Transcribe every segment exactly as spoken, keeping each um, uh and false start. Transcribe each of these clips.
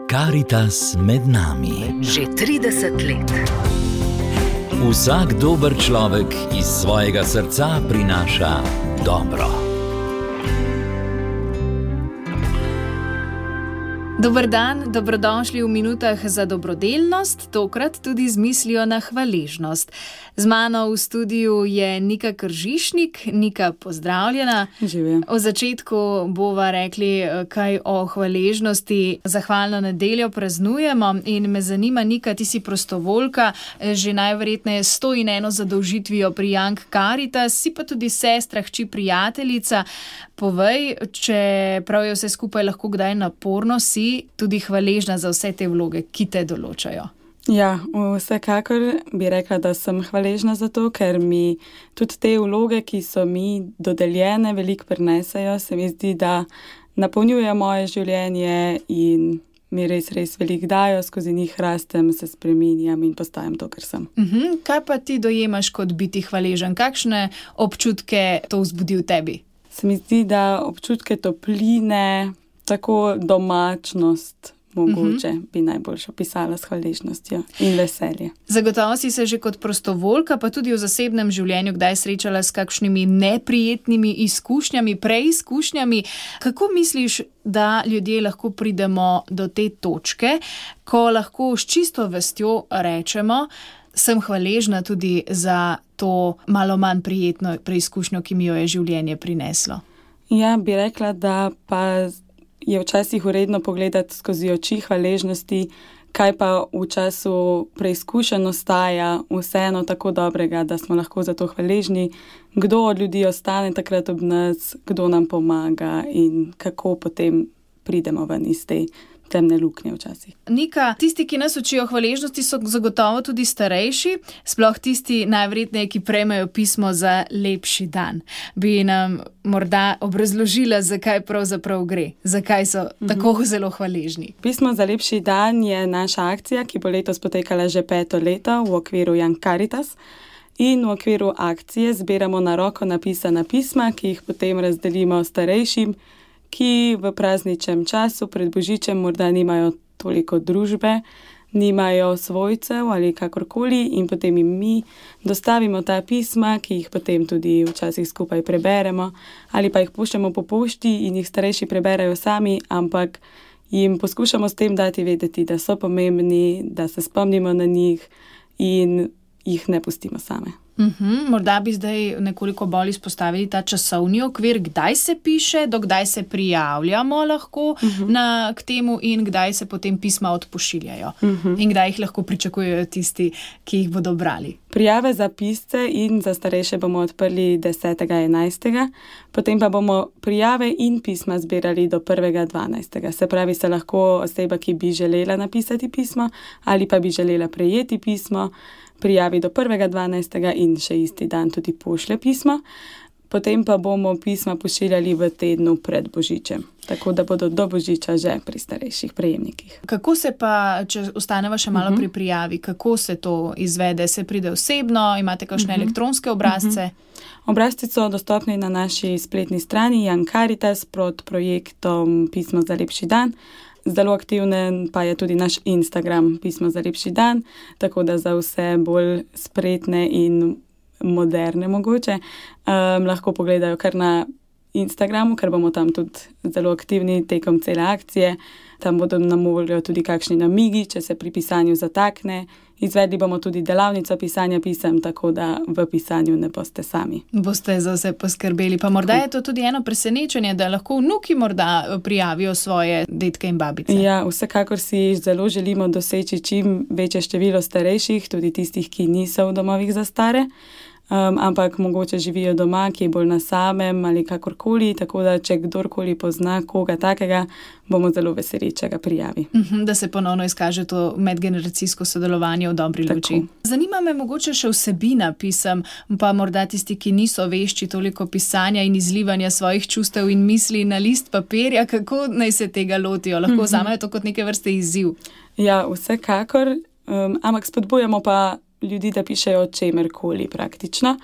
Karitas med nami. Že trideset let. Vsak dober človek iz svojega srca prinaša dobro. Dober dan, dobrodošli v minutah za dobrodelnost, tokrat tudi z mislijo na hvaležnost. Z mano v studiu je Nika Kržišnik. Nika, pozdravljena. Živim. V začetku bova rekli kaj o hvaležnosti. Zahvalno nedeljo praznujemo in me zanima, Nika, ti si prostovoljka, že najverjetneje sto in eno zadolžitvijo pri Young Caritas, si pa tudi sestra, hči, prijateljica. Povej, če prav je vse skupaj lahko kdaj naporno, si tudi hvaležna za vse te vloge, ki te določajo. Ja, vsekakor bi rekla, da sem hvaležna za to, ker mi tudi te vloge, ki so mi dodeljene, veliko prinesejo. Se mi zdi, da napolnjuje moje življenje in mi res, res veliko dajo, skozi njih rastem, se spreminjam in postajam to, kar sem. Uh-huh. Kaj pa ti dojemaš kot biti hvaležen? Kakšne občutke to vzbudi v tebi? Se mi zdi, da občutke topline, tako domačnost, mogoče uh-huh. bi najboljše opisala s hvaležnostjo in veselje. Zagotovo si se že kot prostovoljka, pa tudi v zasebnem življenju kdaj srečala s kakšnimi neprijetnimi izkušnjami, preizkušnjami. Kako misliš, da ljudje lahko pridemo do te točke, ko lahko s čisto vestjo rečemo, sem hvaležna tudi za to malo manj prijetno preizkušnjo, ki mi jo je življenje prineslo? Ja, bi rekla, da pa je včasih vredno pogledati skozi oči hvaležnosti, kaj pa v času preizkušenj ostaja vseeno tako dobrega, da smo lahko za to hvaležni, kdo od ljudi ostane takrat ob nas, kdo nam pomaga in kako potem pridemo ven iz te temne luknje včasih. Nika, tisti, ki nas učijo hvaležnosti, so zagotovo tudi starejši, sploh tisti najverjetneje, ki prejmejo pismo za lepši dan. Bi nam morda obrazložila, zakaj pravzaprav gre, zakaj so uh-huh. tako zelo hvaležni? Pismo za lepši dan je naša akcija, ki bo letos potekala že peto leto v okviru Young Caritas. In v okviru akcije zbiramo na roko napisana pisma, ki jih potem razdelimo starejšim, ki v prazničnem času pred Božičem morda nimajo toliko družbe, nimajo svojcev ali kakorkoli in potem jim mi dostavimo ta pisma, ki jih potem tudi včasih skupaj preberemo ali pa jih puščamo po pošti in jih starejši preberejo sami, ampak jim poskušamo s tem dati vedeti, da so pomembni, da se spomnimo na njih in jih ne pustimo same. Uhum, morda bi zdaj nekoliko bolj izpostavili ta časovni okvir, kdaj se piše, do kdaj se prijavljamo lahko uhum. na, k temu in kdaj se potem pisma odpošiljajo uhum. in kdaj jih lahko pričakujejo tisti, ki jih bodo brali. Prijave za pisce in za starejše bomo odprli desetega enajstega, potem pa bomo prijave in pisma zbirali do prvega dvanajstega. Se pravi, se lahko oseba, ki bi želela napisati pismo ali pa bi želela prejeti pismo, prijavi do prvega dvanajstega in še isti dan tudi pošlje pismo. Potem pa bomo pisma pošiljali v tednu pred Božičem, tako da bodo do Božiča že pri starejših prejemnikih. Kako se pa, če ostaneva še malo uh-huh. pri prijavi, kako se to izvede? Se pride osebno, imate kakšne uh-huh. elektronske obrazce? Uh-huh. Obrazci so dostopni na naši spletni strani Young Caritas pod projektom Pismo za lepši dan. Zelo aktivnen pa je tudi naš Instagram Pismo za lepši dan, tako da za vse bolj spretne in moderne mogoče um, lahko pogledajo kar na Instagramu, ker bomo tam tudi zelo aktivni tekom cele akcije. Tam bodo nam voljo tudi kakšni namigi, če se pri pisanju zatakne. Izvedli bomo tudi delavnico pisanja pisem, tako da v pisanju ne boste sami. Boste za vse poskrbeli. Pa morda je to tudi eno presenečenje, da lahko vnuki morda prijavijo svoje dedke in babice. Ja, vsekakor si zelo želimo doseči čim večje število starejših, tudi tistih, ki niso v domovih za stare. Um, ampak mogoče živijo doma, ki je bolj na samem ali kakorkoli, tako da če kdorkoli pozna koga takega, bomo zelo veseli, če ga prijavi. Uh-huh, da se ponovno izkaže to medgeneracijsko sodelovanje v dobri luči. Zanima me mogoče še vsebina pisem, pa morda tisti, ki niso vešči toliko pisanja in izlivanja svojih čustev in misli na list papirja, kako naj se tega lotijo? Lahko uh-huh. vzamejo to kot neke vrste izziv? Ja, vsekakor, um, ampak spodbujamo pa ljudi, da pišejo o čemerkoli praktično.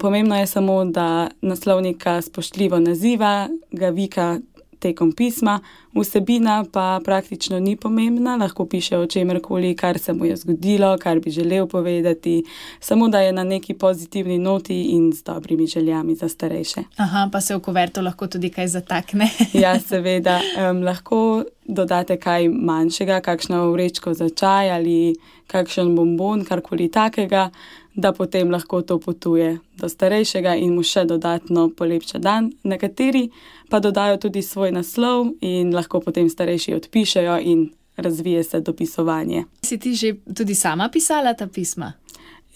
Pomembno je samo, da naslovnika spoštljivo naziva, ga vika tekom pisma, vsebina pa praktično ni pomembna, lahko piše o čemerkoli, kar se mu je zgodilo, kar bi želel povedati, samo da je na neki pozitivni noti in z dobrimi željami za starejše. Aha, pa se v kuverto lahko tudi kaj zatakne. Ja, seveda, um, lahko dodate kaj manjšega, kakšno vrečko za čaj ali kakšen bonbon, karkoli takega, da potem lahko to potuje do starejšega in mu še dodatno polepša dan. Nekateri pa dodajo tudi svoj naslov in lahko potem starejši odpišejo in razvije se dopisovanje. Si ti že tudi sama pisala ta pisma?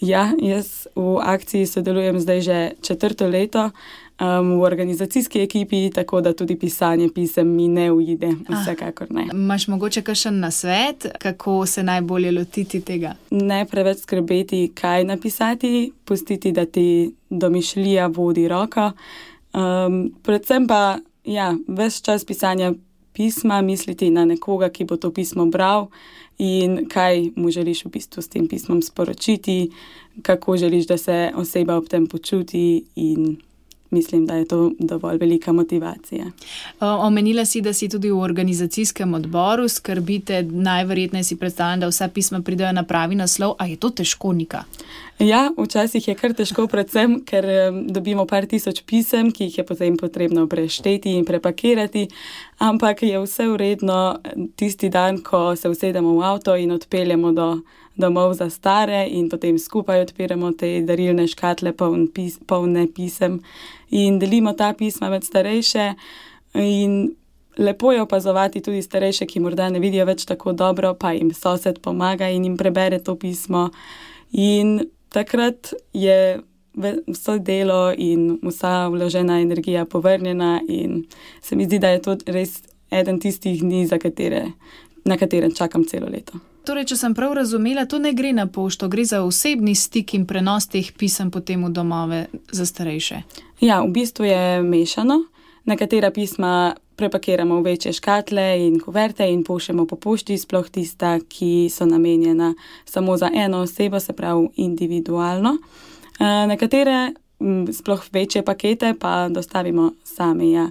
Ja, jaz v akciji sodelujem zdaj že četrto leto um, v organizacijski ekipi, tako da tudi pisanje pisem mi ne uide, vsekakor ne. Imaš mogoče kakšen nasvet, kako se najbolje lotiti tega? Ne preveč skrbeti, kaj napisati, pustiti, da ti domišljija vodi roko. Um, predvsem pa, ja, ves čas pisanja pisma misliti na nekoga, ki bo to pismo bral in kaj mu želiš v bistvu s tem pismom sporočiti, kako želiš, da se oseba ob tem počuti in mislim, da je to dovolj velika motivacija. Omenila si, da si tudi v organizacijskem odboru, skrbite, najverjetneje si predstavljam, da vsa pisma pridejo na pravi naslov, a je to težko, Nika? Ja, včasih je kar težko, predvsem, ker dobimo par tisoč pisem, ki jih je potem potrebno prešteti in prepakirati, ampak je vse vredno tisti dan, ko se usedemo v avto in odpeljemo do domov za stare in potem skupaj odpiramo te darilne škatle poln pis, polne pisem in delimo ta pisma med starejše in lepo je opazovati tudi starejše, ki morda ne vidijo več tako dobro, pa jim sosed pomaga in jim prebere to pismo in takrat je vso delo in vsa vložena energija povrnjena in se mi zdi, da je to res eden tistih dni, za katere, na katerem čakam celo leto. Torej, če sem prav razumela, to ne gre na pošto, gre za osebni stik in prenos teh pisem potem v domove za starejše. Ja, v bistvu je mešano. Nekatera pisma prepakiramo v večje škatle in kuverte in pošljemo po pošti, sploh tista, ki so namenjena samo za eno osebo, se pravi individualno. Nekatere, sploh večje pakete, pa dostavimo sami, ja,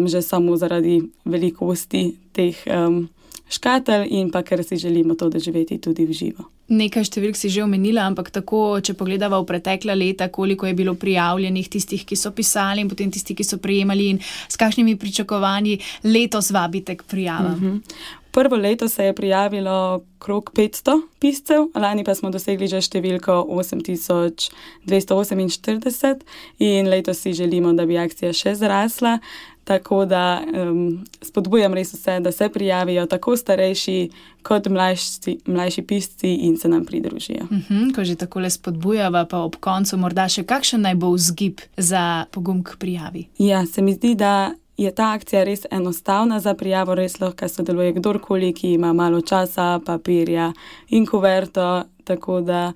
že samo zaradi velikosti teh um, škatel in pa ker si želimo to doživeti tudi v živo. Nekaj številk si že omenila, ampak tako, če pogledava v pretekla leta, koliko je bilo prijavljenih tistih, ki so pisali in potem tisti, ki so prejemali in s kakšnimi pričakovanji letos vabite k prijavam? Uh-huh. Prvo leto se je prijavilo krog petsto piscev, lani pa smo dosegli že številko osem tisoč dvesto oseminštirideset in letos si želimo, da bi akcija še zrasla. Tako da um, spodbujam res vse, da se prijavijo tako starejši kot mlajši, mlajši pisci in se nam pridružijo. Uh-huh, ko že takole spodbujava, pa ob koncu morda še kakšen naj bo vzgib za pogum k prijavi? Ja, se mi zdi, da je ta akcija res enostavna za prijavo, res lahko sodeluje kdorkoli, ki ima malo časa, papirja in kuverto, tako da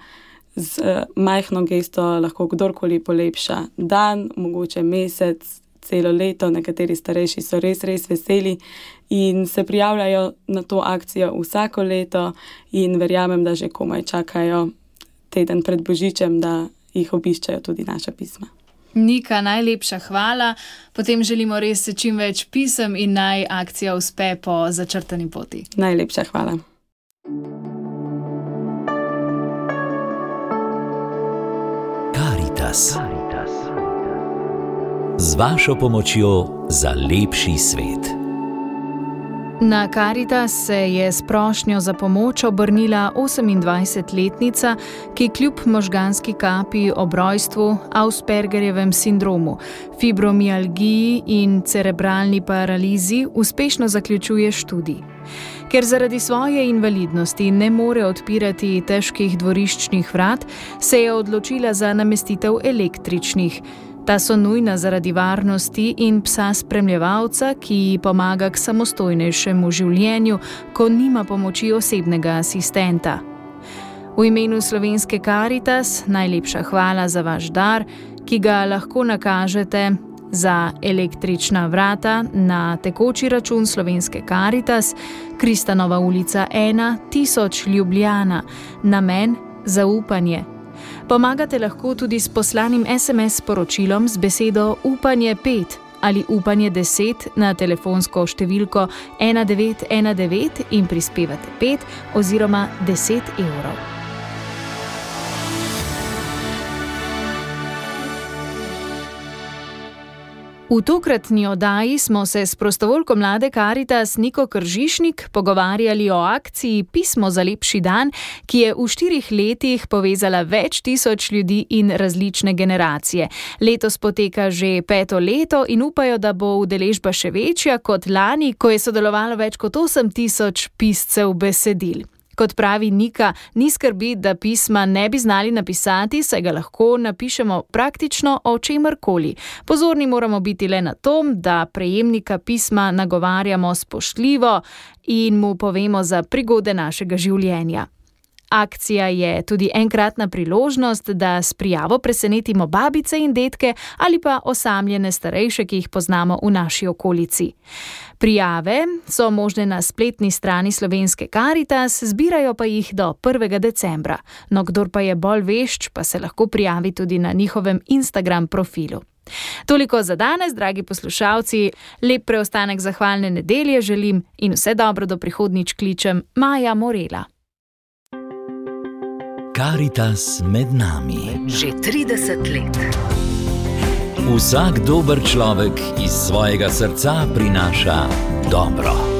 z uh, majhno gesto lahko kdorkoli polepša dan, mogoče mesec, celo leto. Nekateri starejši so res, res veseli in se prijavljajo na to akcijo vsako leto in verjamem, da že komaj čakajo teden pred Božičem, da jih obiščajo tudi naša pisma. Nika, najlepša hvala. Potem želimo res čim več pisem in naj akcija uspe po začrtani poti. Najlepša hvala. Karitas. Z vašo pomočjo za lepši svet. Na Karitas se je s prošnjo za pomoč obrnila osemindvajsetletnica, ki kljub možganski kapi ob rojstvu, Aspergerjevem sindromu, fibromialgiji in cerebralni paralizi uspešno zaključuje študij. Ker zaradi svoje invalidnosti ne more odpirati težkih dvoriščnih vrat, se je odločila za namestitev električnih. Ta so nujna zaradi varnosti in psa spremljevalca, ki ji pomaga k samostojnejšemu življenju, ko nima pomoči osebnega asistenta. V imenu Slovenske Karitas najlepša hvala za vaš dar, ki ga lahko nakažete za električna vrata na tekoči račun Slovenske Karitas, Kristanova ulica ena, tisoč Ljubljana, namen zaupanje. Pomagate lahko tudi s poslanim es em es sporočilom z besedo upanje pet ali Upanje deset na telefonsko številko ena devet ena devet in prispevate pet oziroma deset evrov. V tokratni oddaji smo se s prostovoljko Mlade Karitas Niko Kržišnik pogovarjali o akciji Pismo za lepši dan, ki je v štirih letih povezala več tisoč ljudi in različne generacije. Letos poteka že peto leto in upajo, da bo udeležba še večja kot lani, ko je sodelovalo več kot osem tisoč piscev besedil. Kot pravi Nika, ni skrbi, da pisma ne bi znali napisati, saj ga lahko napišemo praktično o čemerkoli. Pozorni moramo biti le na to, da prejemnika pisma nagovarjamo spoštljivo in mu povemo za prigode našega življenja. Akcija je tudi enkratna priložnost, da s prijavo presenetimo babice in dedke ali pa osamljene starejše, ki jih poznamo v naši okolici. Prijave so možne na spletni strani Slovenske Karitas, zbirajo pa jih do prvega decembra. No, kdor pa je bolj vešč, pa se lahko prijavi tudi na njihovem Instagram profilu. Toliko za danes, dragi poslušalci. Lep preostanek zahvalne nedelje želim in vse dobro do prihodnjič kličem Maja Morela. Karitas med nami. Že trideset let. Vsak dober človek iz svojega srca prinaša dobro.